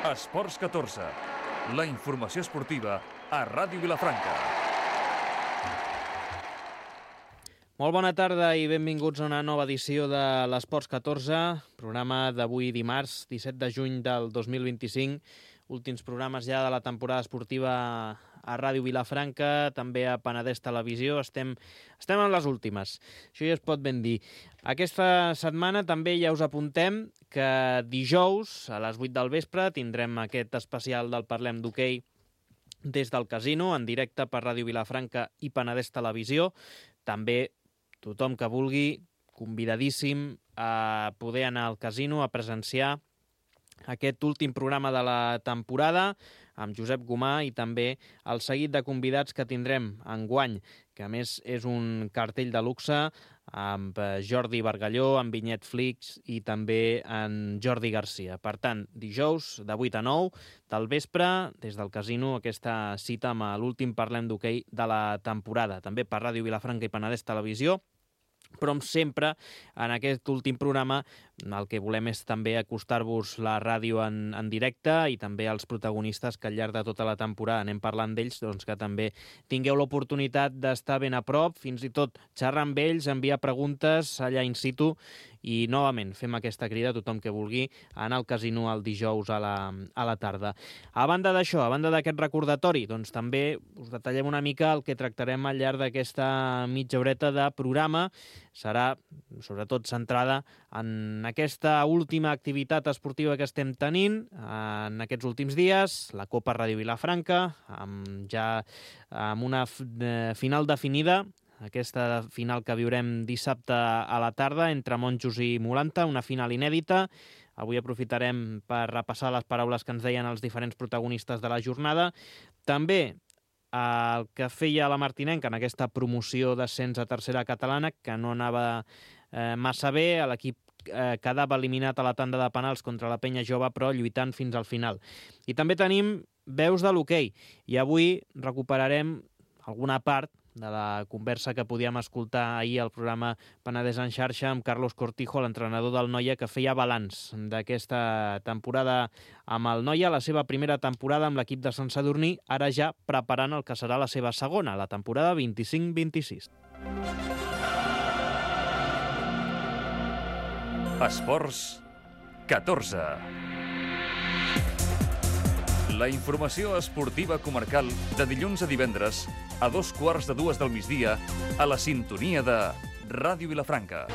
Esports 14, la informació esportiva a Ràdio Vilafranca. Molt bona tarda i benvinguts a una nova edició de l'Esports 14, programa d'avui dimarts, 17 de juny del 2025, últims programes ja de la temporada esportiva a Ràdio Vilafranca, també a Penedès Televisió, estem en les últimes, això ja es pot ben dir. Aquesta setmana també ja us apuntem que dijous a les 8 del vespre tindrem aquest especial del Parlem d'Hoquei des del casino, en directe per Ràdio Vilafranca i Penedès Televisió. També tothom que vulgui, convidadíssim a poder anar al casino a presenciar aquest últim programa de la temporada amb Josep Gomà i també el seguit de convidats que tindrem enguany, que a més és un cartell de luxe amb Jordi Bargalló, amb Vinyet Flix i també en Jordi Garcia. Per tant, dijous de 8 a 9 del vespre, des del casino, aquesta cita amb l'últim Parlem d'Hoquei de la temporada. També per Ràdio Vilafranca i Penedès Televisió, però sempre en aquest últim programa el que volem és també acostar-vos la ràdio en directe i també els protagonistes que al llarg de tota la temporada anem parlant d'ells, doncs que també tingueu l'oportunitat d'estar ben a prop, fins i tot xerrar amb ells, enviar preguntes allà in situ i novament fem aquesta crida a tothom que vulgui anar al casino el dijous a la tarda. A banda d'això, a banda d'aquest recordatori, doncs també us detallem una mica el que tractarem al llarg d'aquesta mitja horeta de programa. Serà sobretot centrada en aquesta última activitat esportiva que estem tenint en aquests últims dies, la Copa Ràdio Vilafranca, amb una final definida, aquesta final que viurem dissabte a la tarda entre Monjos i Molanta, una final inèdita. Avui aprofitarem per repassar les paraules que ens deien els diferents protagonistes de la jornada. També el que feia la Martinenca en aquesta promoció d'ascens a tercera catalana, que no anava massa bé, l'equip quedava eliminat a la tanda de penals contra la Penya Jove, però lluitant fins al final. I també tenim veus de l'hoquei, i avui recuperarem alguna part de la conversa que podíem escoltar ahir al programa Penedès en xarxa amb Carlos Cortijo, l'entrenador del Noia, que feia balanç d'aquesta temporada amb el Noia, la seva primera temporada amb l'equip de Sant Sadurní, ara ja preparant el que serà la seva segona, la temporada 25-26. Esports 14. La informació esportiva comarcal de dilluns a divendres a 2:15 del migdia a la sintonia de Ràdio Vilafranca.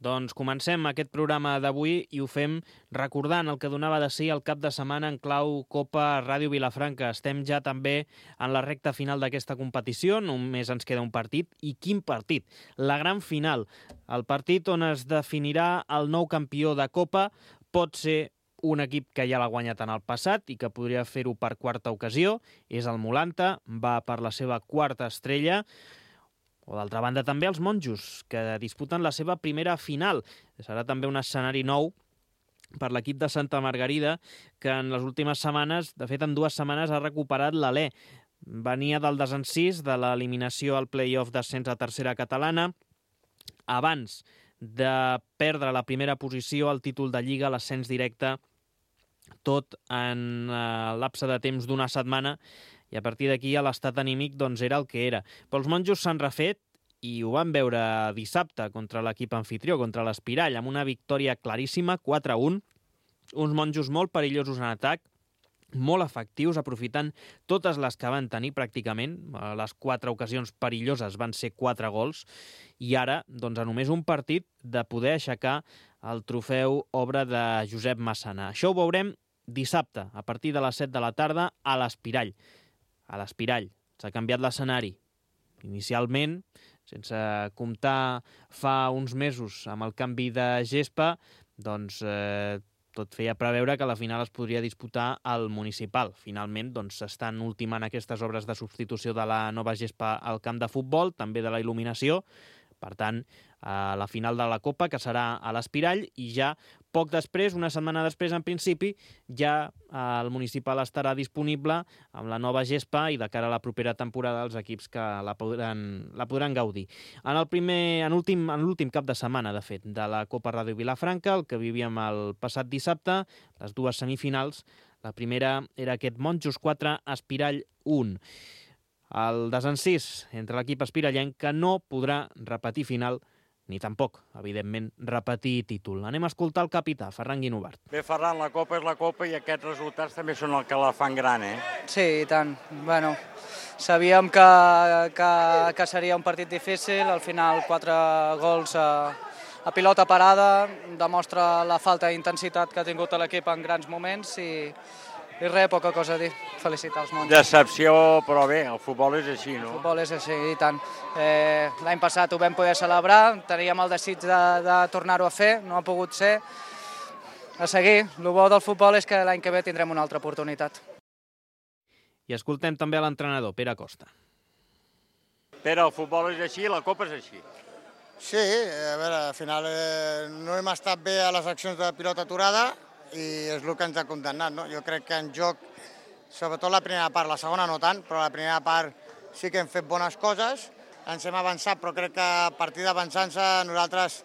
Doncs comencem aquest programa d'avui i ho fem recordant el que donava de si el cap de setmana en clau Copa Ràdio Vilafranca. Estem ja també en la recta final d'aquesta competició, només ens queda un partit. I quin partit? La gran final. El partit on es definirà el nou campió de Copa. Pot ser un equip que ja l'ha guanyat en el passat i que podria fer-ho per quarta ocasió. És el Molanta, va per la seva quarta estrella. O d'altra banda també els Monjos, que disputen la seva primera final. Serà també un escenari nou per l'equip de Santa Margarida, que en les últimes setmanes, de fet en 2 setmanes, ha recuperat l'alè. Venia del desencís de l'eliminació al play-off d'ascens a tercera catalana, abans de perdre la primera posició al títol de Lliga, l'ascens directe, tot en lapse de temps d'una setmana, i a partir d'aquí l'estat anímic doncs era el que era. Però els Monjos s'han refet i ho van veure dissabte contra l'equip anfitrió, contra l'Espirall, amb una victòria claríssima, 4-1, uns Monjos molt perillosos en atac, molt efectius, aprofitant totes les que van tenir pràcticament. Les 4 ocasions perilloses van ser 4 gols, i ara, doncs, a només un partit de poder aixecar el trofeu obra de Josep Massana. Això ho veurem dissabte, a partir de les 7 de la tarda, a l'Espirall. A l'Espirall. S'ha canviat l'escenari. Inicialment, sense comptar fa uns mesos amb el canvi de gespa, doncs tot feia preveure que la final es podria disputar al municipal. Finalment, doncs, s'estan ultimant aquestes obres de substitució de la nova gespa al camp de futbol, també de la il·luminació. Per tant, a la final de la Copa, que serà a l'Espirall, i ja poc després, una setmana després, en principi, ja el municipal estarà disponible amb la nova gespa i de cara a la propera temporada els equips que la podran gaudir. En l'últim cap de setmana, de fet, de la Copa Ràdio Vilafranca, el que vivíem el passat dissabte, les dues semifinals. La primera era aquest Monjos 4, Espirall 1. El desencís entre l'equip espirallenc, que no podrà repetir final ni tampoc, evidentment, repetir títol. Anem a escoltar el capità, Ferran Guinovart. Bé, Ferran, la Copa és la Copa i aquests resultats també són el que la fan gran, eh? Sí, i tant. Bueno, sabíem que seria un partit difícil, al final 4 gols a pilota parada, demostra la falta d'intensitat que ha tingut l'equip en grans moments i res, poca cosa a dir. Felicitar els Monjos. Decepció, però bé, el futbol és així, no? El futbol és així, i tant. L'any passat ho vam poder celebrar, teníem el desig de tornar-ho a fer, no ha pogut ser. A seguir, el bo del futbol és que l'any que ve tindrem una altra oportunitat. I escoltem també a l'entrenador, Pere Costa. Pere, el futbol és així, la Copa és així. Sí, a veure, al final no hem estat bé a les accions de pilota aturada, i és el que ens ha condemnat, no? Jo crec que en joc, sobretot la primera part, la segona no tant, però la primera part sí que hem fet bones coses, ens hem avançat, però crec que a partir d'avançar-se nosaltres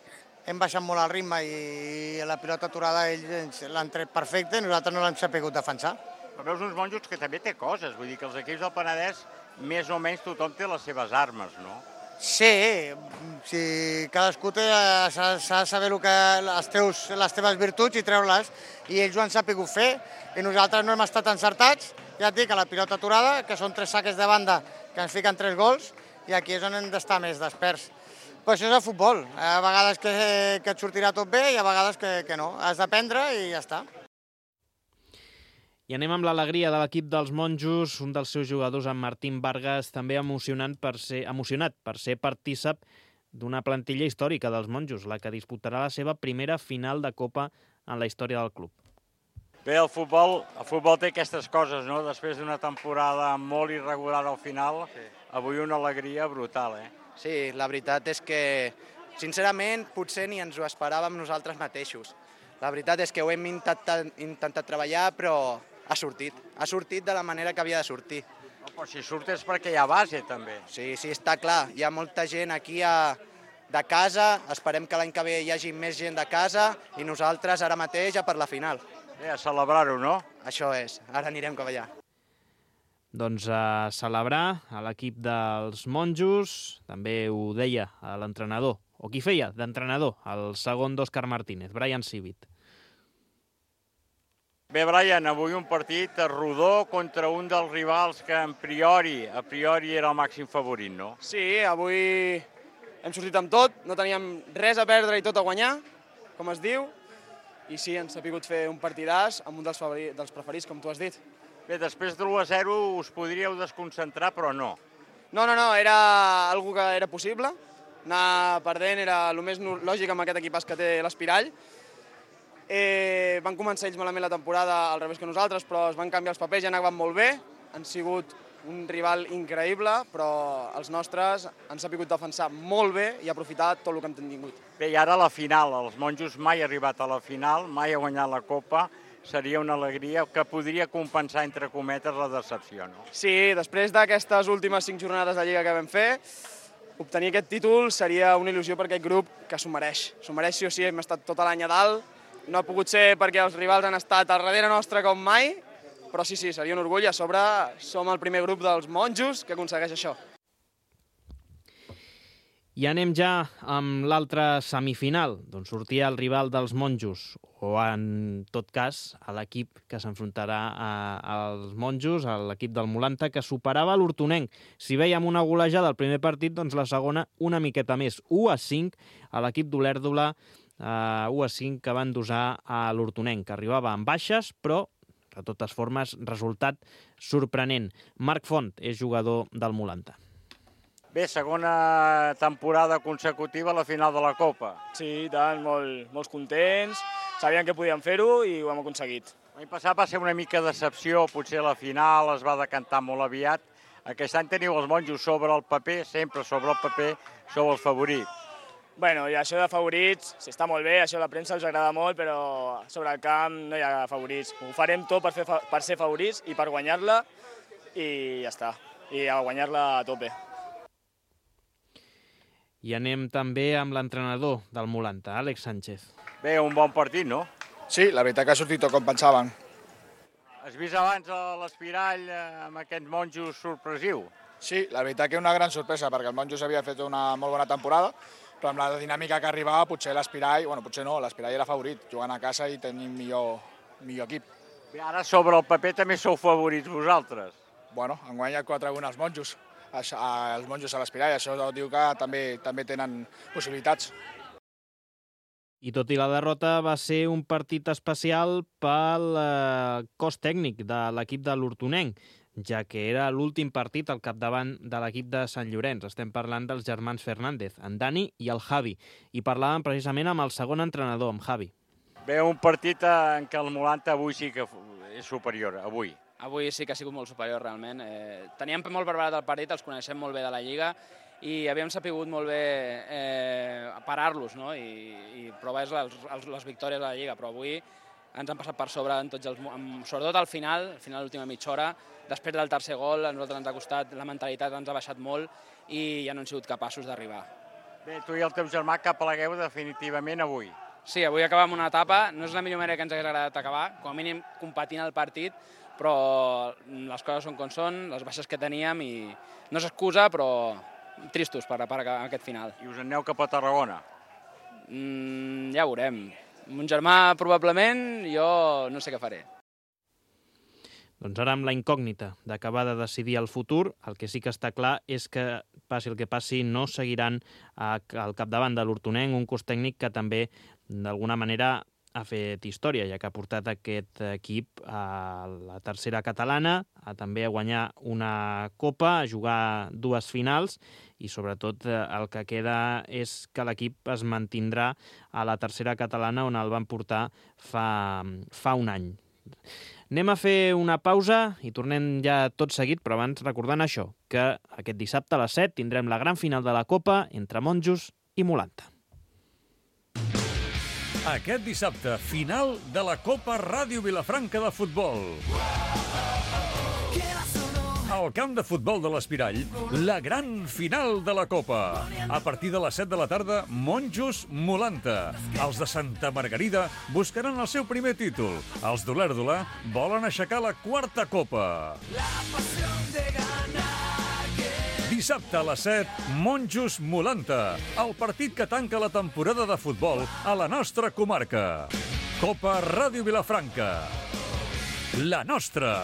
hem baixat molt el ritme i la pilota aturada ells l'han tret perfecte i nosaltres no l'hem sabut defensar. Però veus uns Monjos que també té coses, vull dir que els equips del Penedès més o menys tothom té les seves armes, no? Sí, cadascú s'ha de saber les teves virtuts i treure-les, i ells ho han sabut fer, i nosaltres no hem estat encertats, ja et dic, a la pilota aturada, que són 3 saques de banda que ens fiquen 3 gols, i aquí és on hem d'estar més desperts. Però això és el futbol, a vegades que et sortirà tot bé i a vegades que no, has d'aprendre i ja està. I anem amb l'alegria de l'equip dels Monjos, un dels seus jugadors, en Martín Vargas, també emocionat per ser partícip d'una plantilla històrica dels Monjos, la que disputarà la seva primera final de Copa en la història del club. Bé, el futbol té aquestes coses, no? Després d'una temporada molt irregular al final, avui una alegria brutal, eh? Sí, la veritat és que, sincerament, potser ni ens ho esperàvem nosaltres mateixos. La veritat és que ho hem intentat treballar, però ha sortit de la manera que havia de sortir. Però si surt és perquè hi ha base, també. Sí, està clar. Hi ha molta gent aquí de casa, esperem que l'any que ve hi hagi més gent de casa i nosaltres ara mateix ja per la final. Bé, a celebrar-ho, no? Això és, ara anirem cap allà. Doncs a celebrar a l'equip dels Monjos, també ho deia l'entrenador, o qui feia d'entrenador, el segon d'Òscar Martínez, Brian Civit. Bé, Brian, avui un partit rodó contra un dels rivals que a priori era el màxim favorit, no? Sí, avui hem sortit amb tot, no teníem res a perdre i tot a guanyar, com es diu, i sí, ens ha pogut fer un partidàs amb un dels preferits, com tu has dit. Bé, després de l'1-0 us podríeu desconcentrar, però no. No, era algo que era possible. Anar perdent era el més lògic amb aquest equipàs que té l'Espirall. Van començar ells malament la temporada al revés que nosaltres, però es van canviar els papers i anaven molt bé. Han sigut un rival increïble, però els nostres han sabut defensar molt bé i aprofitar tot el que hem tingut. Bé, i ara la final. Els Monjos mai ha arribat a la final, mai ha guanyat la Copa. Seria una alegria que podria compensar, entre cometes, la decepció, no? Sí, després d'aquestes últimes 5 jornades de Lliga que vam fer, obtenir aquest títol seria una il·lusió per aquest grup que s'ho mereix. S'ho mereix sí o sí, hem estat tot l'any a dalt. No ha pogut ser perquè els rivals han estat al darrere nostre com mai, però sí, seria un orgull. A sobre som el primer grup dels Monjos que aconsegueix això. I anem ja amb l'altra semifinal, d'on sortia el rival dels Monjos, o en tot cas a l'equip que s'enfrontarà als Monjos, a l'equip del Mulanta, que superava l'Hortonenc. Si vèiem una golejada al primer partit, doncs la segona una miqueta més, 1-5 a l'equip d'Olèrdola, 1-5 que van dosar a l'Hortonenc, que arribava amb baixes, però de totes formes resultat sorprenent. Marc Font és jugador del Mulanta. Bé, segona temporada consecutiva a la final de la Copa. Sí, i tant, molts contents, sabien que podíem fer-ho i ho hem aconseguit. L'any passat va ser una mica decepció, potser la final es va decantar molt aviat. Aquest any teniu els Monjos sobre el paper, sempre sobre el paper, sou els favorits. Bueno, i això de favorits, està molt bé, això a la premsa els agrada molt, però sobre el camp no hi ha favorits. Ho farem tot per ser favorits i per guanyar-la, i ja està. I a guanyar-la a tope. I anem també amb l'entrenador del Mulanta, Àlex Sánchez. Bé, un bon partit, no? Sí, la veritat que ha sortit tot com pensaven. Has vist abans l'Espirall amb aquests monjos sorpresiu? Sí, la veritat que una gran sorpresa, perquè el Monjos havia fet una molt bona temporada, però amb la dinàmica que arribava potser l'Espirall, potser no, l'Espirall era favorit, jugant a casa i tenim millor equip. Bé, ara sobre el paper també sou favorits vosaltres. Bueno, han guanyat 4-1 els Monjos a l'Espirall, això diu que també tenen possibilitats. I tot i la derrota va ser un partit especial pel cos tècnic de l'equip de l'Hortonenc, ja que era l'últim partit al capdavant de l'equip de Sant Llorenç. Estem parlant dels germans Fernández, en Dani i el Javi, i parlàvem precisament amb el segon entrenador, amb Javi. Bé, un partit en què el Mulanta avui sí que és superior, avui. Avui sí que ha sigut molt superior, realment. Teníem molt preparat el partit, els coneixem molt bé de la Lliga, i havíem sapigut molt bé parar-los, no? I provar les victòries de la Lliga, però avui ens han passat per sobre, sobretot al final, l'última mitja hora. Després del tercer gol, a nosaltres ens ha costat, la mentalitat ens ha baixat molt i ja no hem sigut capaços d'arribar. Bé, tu i el teu germà que plegueu definitivament avui. Sí, avui acabem una etapa, no és la millor manera que ens hagués agradat acabar, com a mínim competint el partit, però les coses són com són, les baixes que teníem, i no s'excusa, però tristos per aquest final. I us en aneu cap a Tarragona? Ja ho veurem. Mon germà probablement, jo no sé què faré. Doncs ara amb la incògnita d'acabar de decidir el futur, el que sí que està clar és que, passi el que passi, no seguiran al capdavant de l'Hortonenc, un cos tècnic que també, d'alguna manera, ha fet història, ja que ha portat aquest equip a la tercera catalana, també a guanyar una copa, a jugar 2 finals, i sobretot el que queda és que l'equip es mantindrà a la tercera catalana on el van portar fa un any. Anem a fer una pausa i tornem ja tot seguit, però abans recordant això, que aquest dissabte a les 7 tindrem la gran final de la Copa entre Monjos i Mulanta. Aquest dissabte, final de la Copa Ràdio Vilafranca de futbol. Al camp de futbol de l'Espirall, la gran final de la Copa. A partir de les 7 de la tarda, Monjos Mulanta. Els de Santa Margarida buscaran el seu primer títol. Els d'Olèrdola volen aixecar la 4ª Copa. Dissabte a les 7, Monjos Mulanta, el partit que tanca la temporada de futbol a la nostra comarca. Copa Ràdio Vilafranca. La nostra.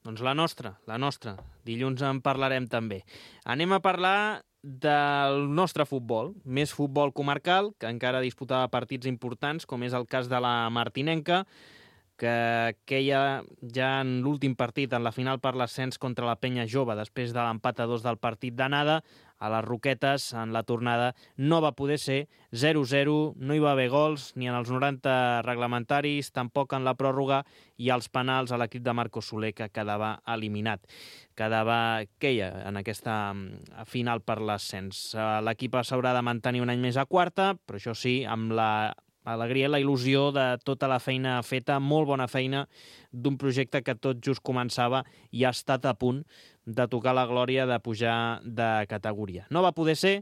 Doncs la nostra. Dilluns en parlarem també. Anem a parlar del nostre futbol, més futbol comarcal, que encara disputava partits importants, com és el cas de la Martinenca, que queia ja en l'últim partit, en la final per l'ascens contra la Penya Jove, després de l'empat a 2 del partit d'anada, a les Roquetes, en la tornada, no va poder ser 0-0, no hi va haver gols, ni en els 90 reglamentaris, tampoc en la pròrroga, i als penals a l'equip de Marco Soler, que quedava eliminat. Queia en aquesta final per l'ascens. L'equip s'haurà de mantenir un any més a 4ª, però això sí, amb l'alegria i la il·lusió de tota la feina feta, molt bona feina, d'un projecte que tot just començava i ha estat a punt de tocar la glòria de pujar de categoria. No va poder ser,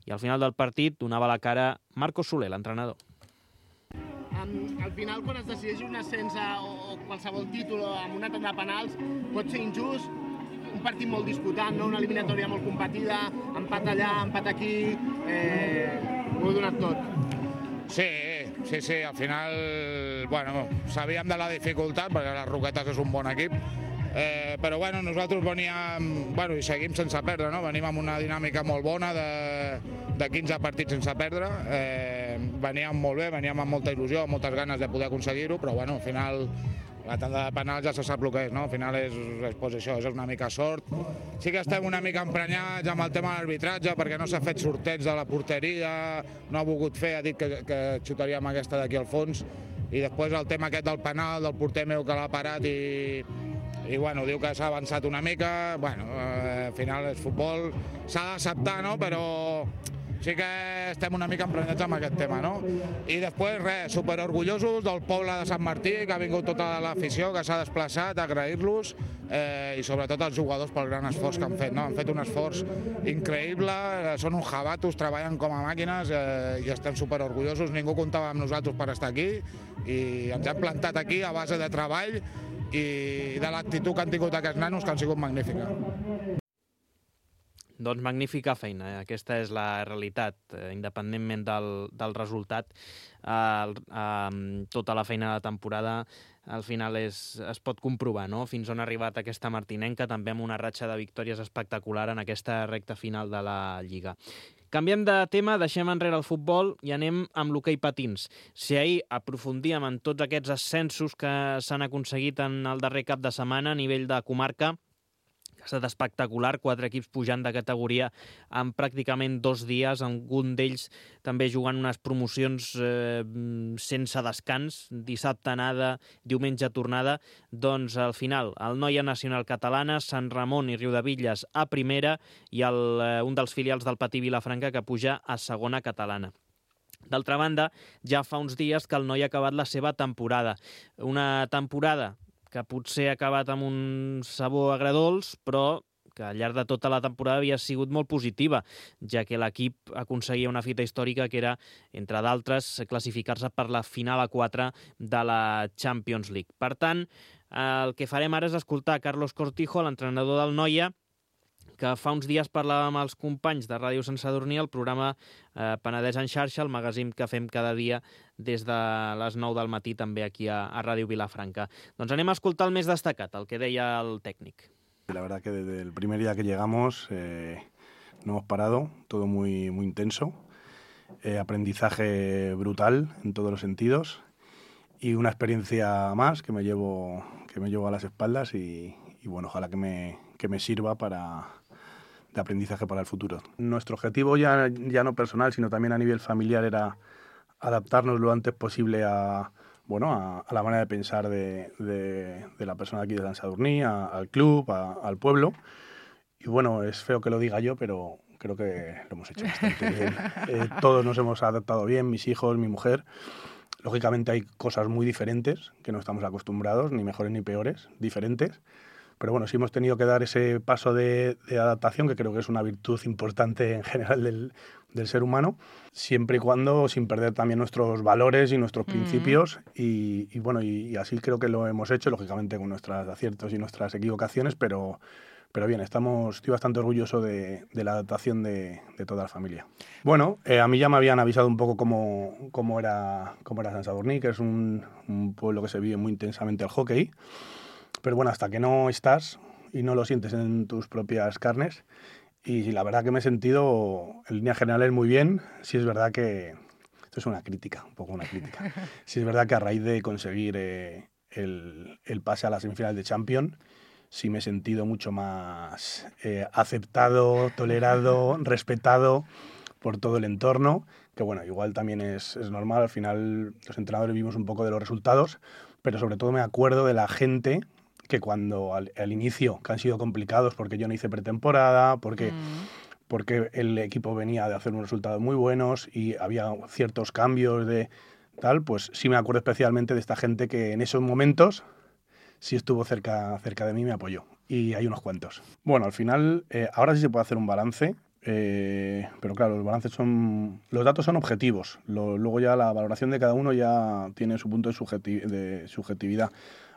i al final del partit donava la cara Marco Soler, l'entrenador. Al final, quan es decideix un ascens o qualsevol títol amb una tanda de penals, pot ser injust, un partit molt disputat, no? Una eliminatòria molt competida, empat allà, empat aquí, ho he donat tot. Sí, al final, sabíem de la dificultat, perquè les Roquetes és un bon equip, però nosaltres veníem, i seguim sense perdre, no? Venim amb una dinàmica molt bona de 15 partits sense perdre, veníem molt bé, veníem amb molta il·lusió, amb moltes ganes de poder aconseguir-ho, però al final la tanda de penals ja se sap el que és, no? Al final és això, és una mica sort. Sí que estem una mica emprenyats amb el tema de l'arbitratge, perquè no s'ha fet sorteig de la porteria, no ha volgut fer, ha dit que xutaríem aquesta d'aquí al fons, i després el tema aquest del penal, del porter meu que l'ha parat i i bueno, diu que s'ha avançat una mica, bueno, al final és futbol, s'ha d'acceptar, no?, però sí que estem una mica emprenyats amb aquest tema, no? I després, res, superorgullosos del poble de Sant Martí, que ha vingut tota l'afició, que s'ha desplaçat, agrair-los, i sobretot als jugadors pel gran esforç que han fet, no? Han fet un esforç increïble, són uns jabatos, treballen com a màquines, i estem superorgullosos, ningú comptava amb nosaltres per estar aquí, i ens hem plantat aquí a base de treball i de l'actitud que han tingut aquests nanos, que han sigut magnífica. Doncs magnífica feina, aquesta és la realitat, independentment del resultat. Tota la feina de temporada al final es pot comprovar, no?, fins on ha arribat aquesta martinenca, també amb una ratxa de victòries espectacular en aquesta recta final de la Lliga. Canviem de tema, deixem enrere el futbol i anem amb l'hoquei patins. Si ahir aprofundíem en tots aquests ascensos que s'han aconseguit en el darrer cap de setmana a nivell de comarca, ha estat espectacular, 4 equips pujant de categoria en pràcticament 2 dies, algun d'ells també jugant unes promocions sense descans, dissabte anada, diumenge tornada, doncs al final el Noia Nacional Catalana, Sant Ramon i Riudebitlles a primera i un dels filials del Patí Vilafranca que puja a segona catalana. D'altra banda, ja fa uns dies que el Noia ha acabat la seva temporada. Una temporada que potser ha acabat amb un sabor agredolç, però que al llarg de tota la temporada havia sigut molt positiva, ja que l'equip aconseguia una fita històrica que era, entre d'altres, classificar-se per la final a 4 de la Champions League. Per tant, el que farem ara és escoltar Carlos Cortijo, l'entrenador del Noia, que fa uns dies parlava amb els companys de Ràdio Sant Sadurní, el programa Penedès en xarxa, el magazín que fem cada dia des de les 9 del matí també aquí a Ràdio Vilafranca. Doncs anem a escoltar el més destacat, el que deia el tècnic. La verdad que desde el primer día que llegamos no hemos parado, todo muy, muy intenso, aprendizaje brutal en todos los sentidos y una experiencia más que me llevo a las espaldas y bueno, ojalá que me sirva de aprendizaje para el futuro. Nuestro objetivo ya no personal, sino también a nivel familiar era adaptarnos lo antes posible a la manera de pensar de la persona aquí de Sant Sadurní, al club, al pueblo. Y bueno, es feo que lo diga yo, pero creo que lo hemos hecho bastante bien. Todos nos hemos adaptado bien, mis hijos, mi mujer. Lógicamente hay cosas muy diferentes que no estamos acostumbrados, ni mejores ni peores, diferentes. Pero bueno, sí hemos tenido que dar ese paso de adaptación, que creo que es una virtud importante en general del ser humano, siempre y cuando sin perder también nuestros valores y nuestros principios. Y bueno, y así creo que lo hemos hecho, lógicamente con nuestros aciertos y nuestras equivocaciones, pero bien, estoy bastante orgulloso de la adaptación de toda la familia. Bueno, a mí ya me habían avisado un poco cómo era Sant Sadurní, que es un pueblo que se vive muy intensamente el hockey. Pero bueno, hasta que no estás y no lo sientes en tus propias carnes, y la verdad que me he sentido en líneas generales muy bien. Sí es verdad que, esto es una crítica, un poco una crítica, sí es verdad que a raíz de conseguir el pase a las semifinales de Champions, sí me he sentido mucho más aceptado, tolerado, respetado por todo el entorno, que bueno, igual también es normal, al final los entrenadores vivimos un poco de los resultados, pero sobre todo me acuerdo de la gente que cuando al inicio, que han sido complicados porque yo no hice pretemporada, porque el equipo venía de hacer unos resultados muy buenos y había ciertos cambios de tal, pues sí me acuerdo especialmente de esta gente que en esos momentos sí estuvo cerca de mí y me apoyó. Y hay unos cuantos. Bueno, al final, ahora sí se puede hacer un balance, pero claro, los datos son objetivos. Luego ya la valoración de cada uno ya tiene su punto de subjetividad.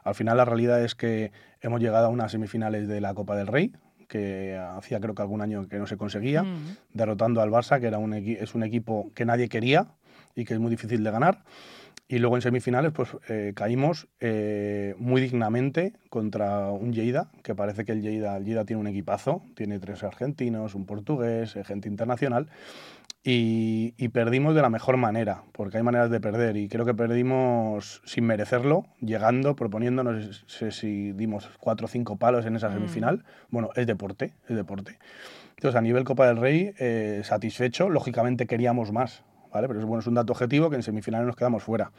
Al final la realidad es que hemos llegado a unas semifinales de la Copa del Rey, que hacía creo que algún año que no se conseguía, derrotando al Barça, que es un equipo que nadie quería y que es muy difícil de ganar. Y luego en semifinales pues caímos muy dignamente contra un Lleida, que parece que el Lleida tiene un equipazo, tiene 3 argentinos, un portugués, gente internacional, y perdimos de la mejor manera, porque hay maneras de perder, y creo que perdimos sin merecerlo, llegando, proponiéndonos, no sé si dimos 4 o 5 palos en esa semifinal. Bueno, es deporte. Entonces a nivel Copa del Rey, satisfecho, lógicamente queríamos más, ¿vale? Pero bueno, es un dato objetivo que en semifinales nos quedamos fuera.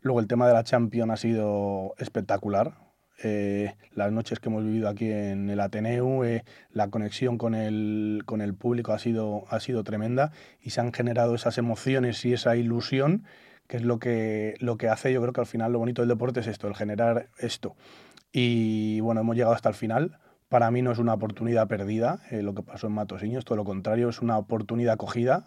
Luego el tema de la Champions ha sido espectacular. las noches que hemos vivido aquí en el Ateneu, la conexión con el público ha sido tremenda y se han generado esas emociones y esa ilusión, que es lo que hace, yo creo que al final lo bonito del deporte es esto, el generar esto. Y bueno, hemos llegado hasta el final. Para mí no es una oportunidad perdida lo que pasó en Matosiños, todo lo contrario, es una oportunidad cogida,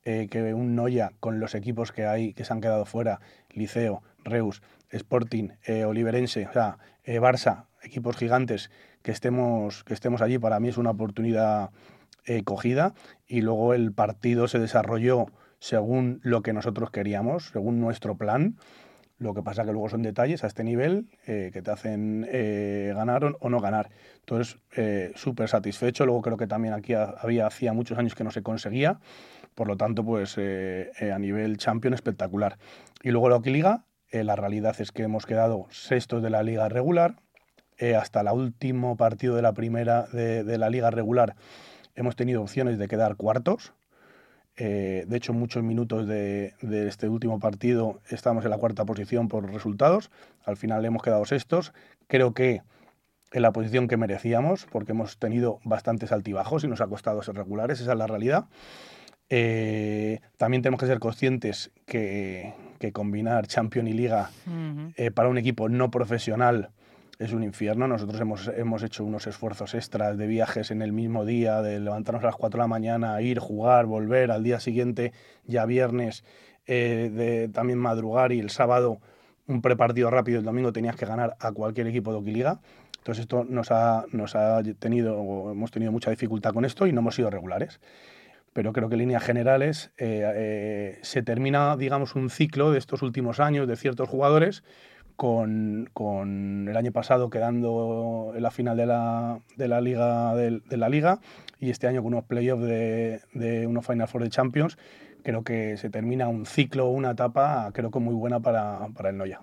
que un Noia con los equipos que hay, que se han quedado fuera, Liceo, Reus, Sporting, Oliverense, o sea, Barça, equipos gigantes, que estemos allí, para mí es una oportunidad cogida, y luego el partido se desarrolló según lo que nosotros queríamos, según nuestro plan. Lo que pasa que luego son detalles a este nivel que te hacen ganar o no ganar. Entonces, súper satisfecho. Luego creo que también aquí hacía muchos años que no se conseguía. Por lo tanto, pues a nivel champion espectacular. Y luego la Liga, la realidad es que hemos quedado sextos de la liga regular. Hasta el último partido de la primera de la liga regular hemos tenido opciones de quedar cuartos. De hecho, muchos minutos de este último partido estábamos en la cuarta posición por resultados. Al final hemos quedado sextos. Creo que en la posición que merecíamos, porque hemos tenido bastantes altibajos y nos ha costado ser regulares, esa es la realidad. También tenemos que ser conscientes que combinar Champions y Liga para un equipo no profesional es un infierno. Nosotros hemos hecho unos esfuerzos extras de viajes en el mismo día, de levantarnos a las 4 de la mañana, ir, jugar, volver, al día siguiente, ya viernes, de también madrugar, y el sábado un prepartido rápido, el domingo tenías que ganar a cualquier equipo de Liga. Entonces esto hemos tenido mucha dificultad con esto y no hemos sido regulares. Pero creo que en líneas generales se termina, digamos, un ciclo de estos últimos años de ciertos jugadores, con el año pasado quedando en la final de la Liga, y este año con unos playoffs de unos Final Four de Champions. Creo que se termina un ciclo, una etapa, creo que muy buena para el Noia.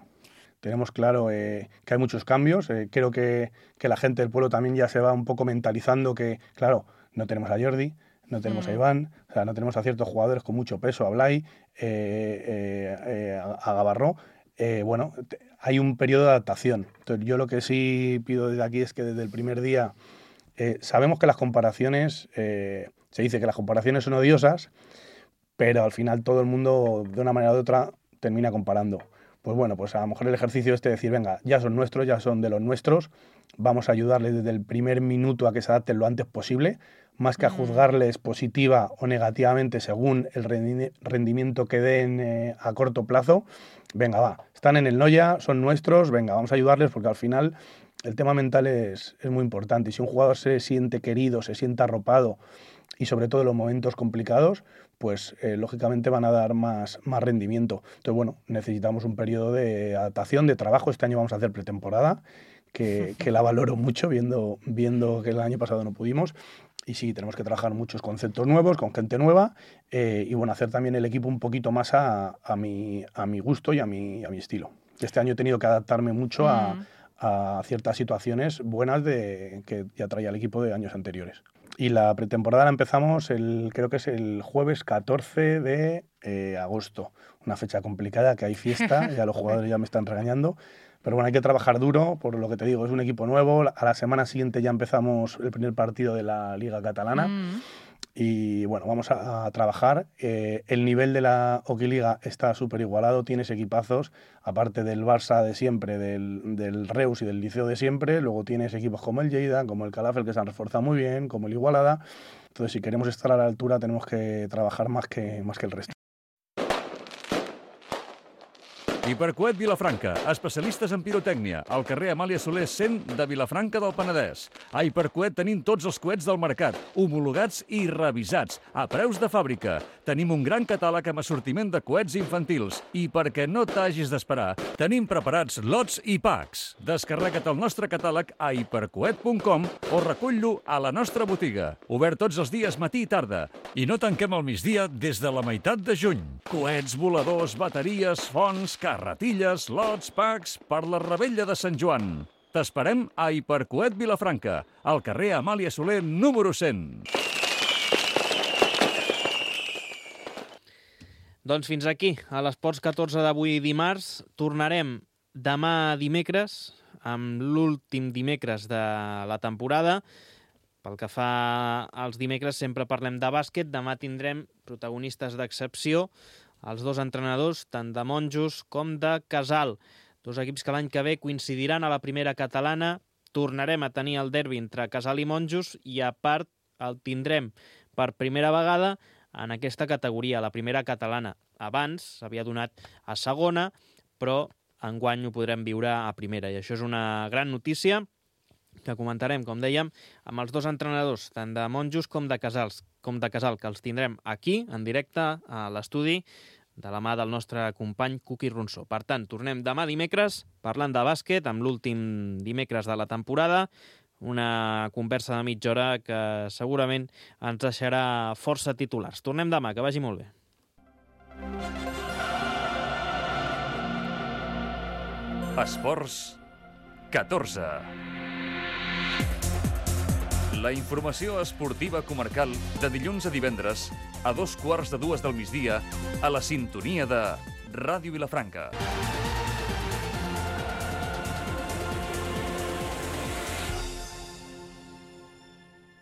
Tenemos claro que hay muchos cambios. Creo que la gente del pueblo también ya se va un poco mentalizando que, claro, no tenemos a Jordi, no tenemos a Iván, o sea, no tenemos a ciertos jugadores con mucho peso, a Blay, a Gavarró. Bueno, hay un periodo de adaptación. Entonces, yo lo que sí pido desde aquí es que desde el primer día sabemos que las comparaciones, se dice que las comparaciones son odiosas, pero al final todo el mundo, de una manera u otra, termina comparando. Pues bueno, pues a lo mejor el ejercicio de decir, venga, ya son nuestros, ya son de los nuestros, vamos a ayudarles desde el primer minuto a que se adapten lo antes posible, más que a juzgarles positiva o negativamente según el rendimiento que den a corto plazo. Venga, va, están en el Noia, son nuestros, venga, vamos a ayudarles, porque al final el tema mental es muy importante. Y si un jugador se siente querido, se siente arropado, y sobre todo en los momentos complicados, pues lógicamente van a dar más rendimiento. Entonces, bueno, necesitamos un periodo de adaptación, de trabajo. Este año vamos a hacer pretemporada, que la valoro mucho, viendo que el año pasado no pudimos. Y sí, tenemos que trabajar muchos conceptos nuevos, con gente nueva, y bueno, hacer también el equipo un poquito más a mi gusto y a mi estilo. Este año he tenido que adaptarme mucho a ciertas situaciones buenas que ya traía el equipo de años anteriores. Y la pretemporada la empezamos, creo que es el jueves 14 de agosto. Una fecha complicada, que hay fiesta, ya los jugadores ya me están regañando. Pero bueno, hay que trabajar duro, por lo que te digo, es un equipo nuevo. A la semana siguiente ya empezamos el primer partido de la Liga Catalana. Y bueno, vamos a trabajar. El nivel de la Liga está súper igualado, tienes equipazos, aparte del Barça de siempre, del Reus y del Liceo de siempre. Luego tienes equipos como el Lleida, como el Calafel, que se han reforzado muy bien, como el Igualada. Entonces, si queremos estar a la altura, tenemos que trabajar más que el resto. Hipercoet Vilafranca, especialistes en pirotècnia, al carrer Amàlia Soler 100 de Vilafranca del Penedès. A Hipercoet tenim tots els coets del mercat, homologats i revisats, a preus de fàbrica. Tenim un gran catàleg amb assortiment de coets infantils i, perquè no t'hagis d'esperar, tenim preparats lots i packs. Descarrega't el nostre catàleg a hipercoet.com o recull-lo a la nostra botiga. Obert tots els dies matí i tarda. I no tanquem al migdia des de la meitat de juny. Coets, voladors, bateries, fonts, carretilles, lots, packs per la Rebella de Sant Joan. T'esperem a Hipercoet Vilafranca, al carrer Amàlia Soler número 100. Doncs fins aquí, a l'Esports 14 d'avui dimarts. Tornarem demà dimecres amb l'últim dimecres de la temporada. Pel que fa als dimecres sempre parlem de bàsquet. Demà tindrem protagonistes d'excepció, els dos entrenadors, tant de Monjos com de Casal. Dos equips que l'any que ve coincidiran a la primera catalana. Tornarem a tenir el derbi entre Casal i Monjos i a part el tindrem per primera vegada en aquesta categoria, la primera catalana. Abans s'havia donat a segona, però enguany ho podrem viure a primera, i això és una gran notícia que comentarem, com dèiem, amb els dos entrenadors, tant de Monjos com de Casal, que els tindrem aquí, en directe, a l'estudi, de la mà del nostre company Cuqui Ronsó. Per tant, tornem demà dimecres, parlant de bàsquet, amb l'últim dimecres de la temporada, una conversa de mitja hora que segurament ens deixarà força titulars. Tornem demà, que vagi molt bé. Esports 14. La informació esportiva comarcal de dilluns a divendres a 2:15 del migdia a la sintonia de Ràdio Vilafranca.